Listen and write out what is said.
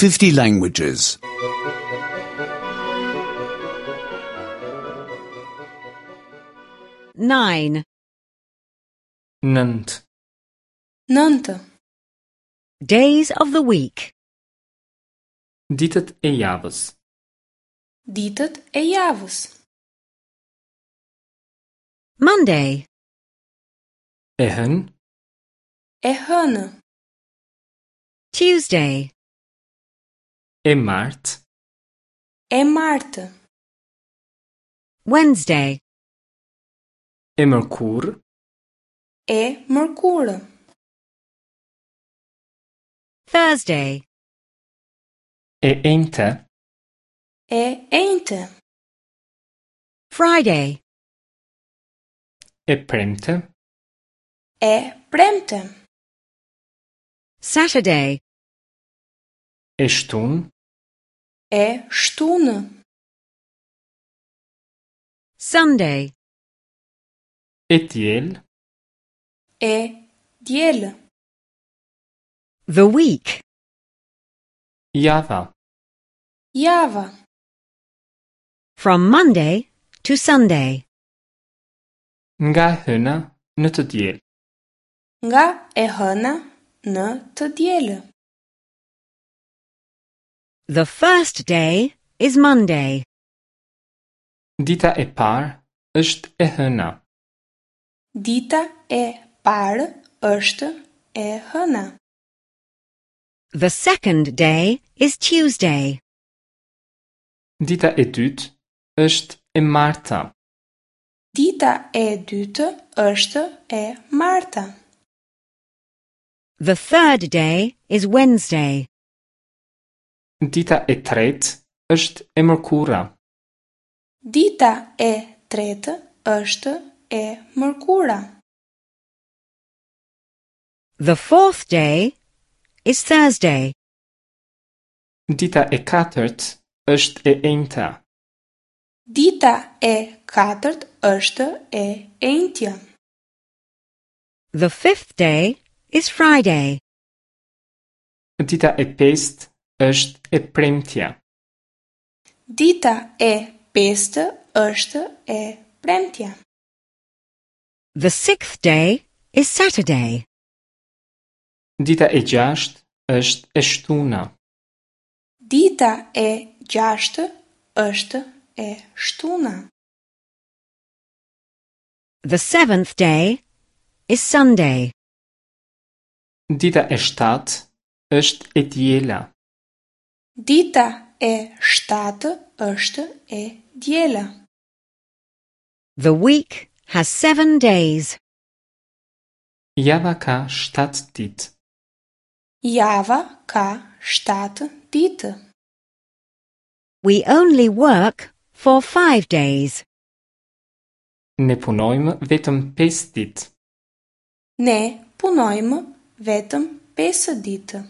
50 languages. 9. 9. 9. Days of the week. Ditët e javës. Ditët e javës. Monday, E hënë, E hënë, Tuesday, e martë, e martë, Wednesday, e mërkurë, e mërkurë, Thursday, e enjte, e enjte, Friday, e premte, e premte, Saturday, e shtunë, e shtunë, Sunday, e diel, e diel, the week. java. java, From Monday to Sunday. Nga e hëna në të diel. nga e hëna në të dielë. The first day is Monday. Dita e parë është e hëna. Dita e parë është e hëna. The second day is Tuesday. Dita e dytë është e marta. Dita e dytë është e marta. The third day is Wednesday. Dita e tretë është e mërkura. Dita e tretë është e mërkura. The fourth day is Thursday. Dita e katërt është e enjta. Dita e katërt është e enjtja. The fifth day is Friday. Dita e pestë është e premtja. Dita e pestë është e premtja. The sixth day is Saturday. Dita e gjashtë është e shtuna. Dita e gjashtë është e shtuna. The seventh day is Sunday. Dita e shtatë është e diela. Dita e shtatë është e diela. The week has seven days. Java ka 7 ditë. Java ka 7 ditë. We only work for five days. Ne punojmë vetëm 5 ditë. Ne punojmë vetëm 5 ditë.